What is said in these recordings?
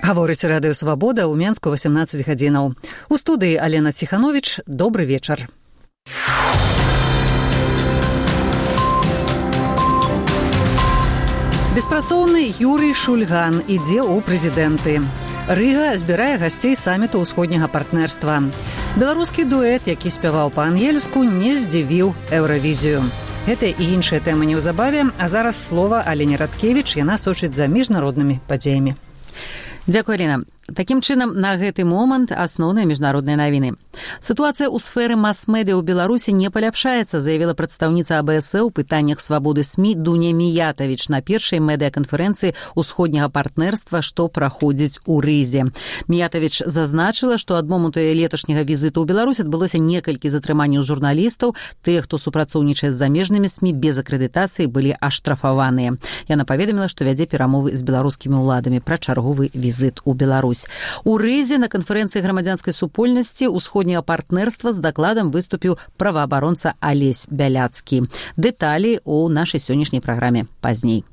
Гаворыць Радыё Свабода, ў Менску 18 гадзінаў. У студыі Алена Ціхановіч. Добры вечар. Беспрацоўны Юрый Шульган ідзе ў прэзідэнты. Рыга збірае гасцей саміту ўсходняга партнерства. Беларускі дуэт, які спяваў па-ангельску, не здзівіў Еўравізію. Гэта і іншыя тэмы неўзабаве, а зараз слова Алене Радкевіч, яна сочыць за міжнароднымі падзеямі. Дзякуй, Алена. Такім чынам, на гэты момант асноўныя міжнародныя навіны. Сітуацыя ў сферы мас-медыа ў Беларусі не паляпшаецца, заявіла прадстаўніца АБС у пытаннях свабоды СМІ Дуня Міятавіч на першай медыаканферэнцыі ўсходняга партнерства, што праходзіць у Рызе. Міятавіч зазначыла, што ад моманту леташняга візіту ў Беларусь адбылося некалькі затрыманняў журналістаў. Тыя, хто супрацоўнічае з замежнымі СМІ без акрэдытацыі, былі аштрафаваныя. Яна паведаміла, што вядзе перамовы з беларускімі ўладамі пра чарговы візіт у Беларусь. У Рызе на канферэнцыі грамадзянскай супольнасці ўсходняга партнерства з дакладам выступіў праваабаронца Алесь Бяляцкі. Дэталі ў нашай сённяшняй праграме пазней.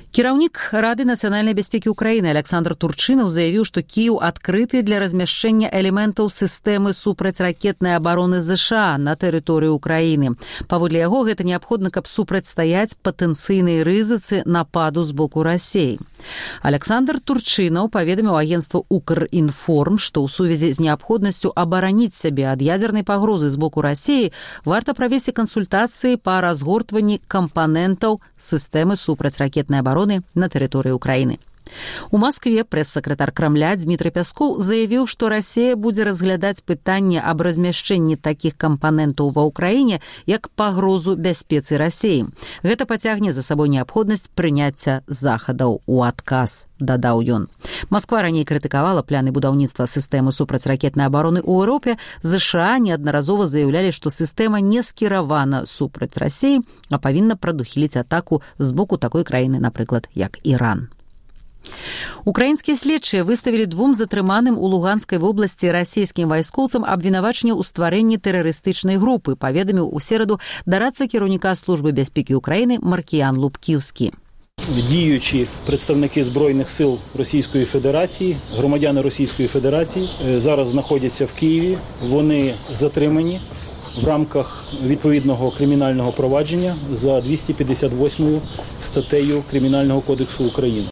Кіраўнік Рады нацыянальнай бяспекі ўкраіны Александр Турчынаў заявіў, што Кіеў адкрыты для размяшчэння элементаў сістэмы супрацьракетнай абароны ЗША на тэрыторыі ўкраіны. Паводле яго, гэта неабходна, каб супрацьстаяць патэнцыйнай рызыцы нападу з боку Расіі. Александр Турчынаў паведаміў агенцтву «Укрінформ», што ў сувязі з неабходнасцю абараніць сябе ад ядзернай пагрозы з боку Расіі варта правесці кансультацыі па разгортванні кампанентаў сістэмы супрацьракетнай абароны на тэрыторыі ўкраіны. У Маскве прэс-сакратар Крамля Дмітрый Пяскоў заявіў, што Расія будзе разглядаць пытанне аб размяшчэнні такіх кампанентаў ва ўкраіне як пагрозу бяспецы Расіі. Гэта пацягне за сабой неабходнасць прыняцця захадаў у адказ, дадаў ён. Масква раней крытыкавала пляны будаўніцтва сістэмы супрацьракетнай абароны ў Еўропе. ЗША неаднаразова заяўлялі, што сістэма не скіравана супраць Расіі, а павінна прадухіліць атаку з боку такой краіны, напрыклад, як Іран. Украінскія следчыя выставілі двум затрыманым у Луганскай вобласці расійскім вайскоўцам абвінавачанне ў стварэнні тэрарыстычнай групы, паведаміў у сераду дарадца кіраўніка службы бяспекі ўкраіны Маркіян Лубківскі. Діючі представники Збройних сил Російської Федерації, громадяни Російської Федерації, зараз знаходяться в Києві. Вони затримані в рамках відповідного кримінального провадження за 258 статтею Кримінального кодексу України.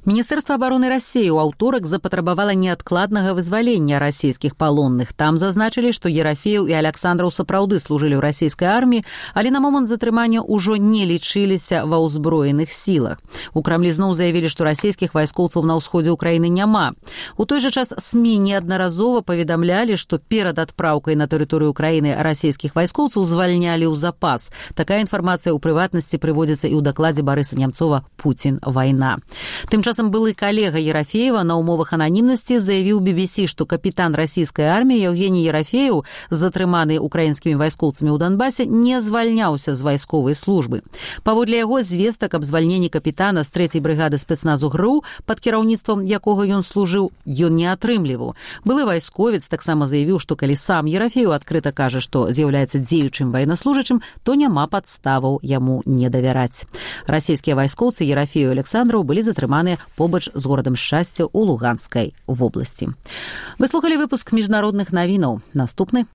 Міністэрства абароны Расіі ў аўторак запатрабавала неадкладнага вызвалення расійскіх палонных. Там зазначылі, што Ерафеев і Александраў сапраўды служылі ў расійскай арміі, але на момант затрымання ўжо не лічыліся ва ўзброеных сілах. У Крамлі зноў заявілі, што расійскіх вайскоўцаў на ўсходзе ўкраіны няма. У той жа час СМІ неаднаразова паведамлялі, што перад адпраўкай на тэрыторыю ўкраіны расійскіх вайскоўцаў звальнялі ў запас. Такая інфармацыя ў прыватнасці прыводзіцца і ў дакладзе Барыса Нямцова «Пуцін. Вайна». Тым часам былы калега Ерафеева на ўмовах ананімнасці заявіў BBC, што капітан расійскай арміі Евгений Ерафеев, затрыманы украінскімі вайскоўцамі ў Донбасе, не звальняўся з вайсковай службы. Паводле яго, звестак аб звальненні капітана з 3-й брыгады спецназу ГРУ, пад кіраўніцтвам якога ён служыў, ён не атрымліваў. Былы вайсковец таксама заявіў, што калі сам Ерафеев адкрыта кажа, што з'яўляецца дзеючым ваеннаслужачым, то няма падставаў яму не давяраць. Расійскія вайскоўцы Ерафеев і Александраў былі затрыманыя побач з горадам Шчасця ў Луганскай вобласці. Вы слухалі выпуск міжнародных навінаў. Наступны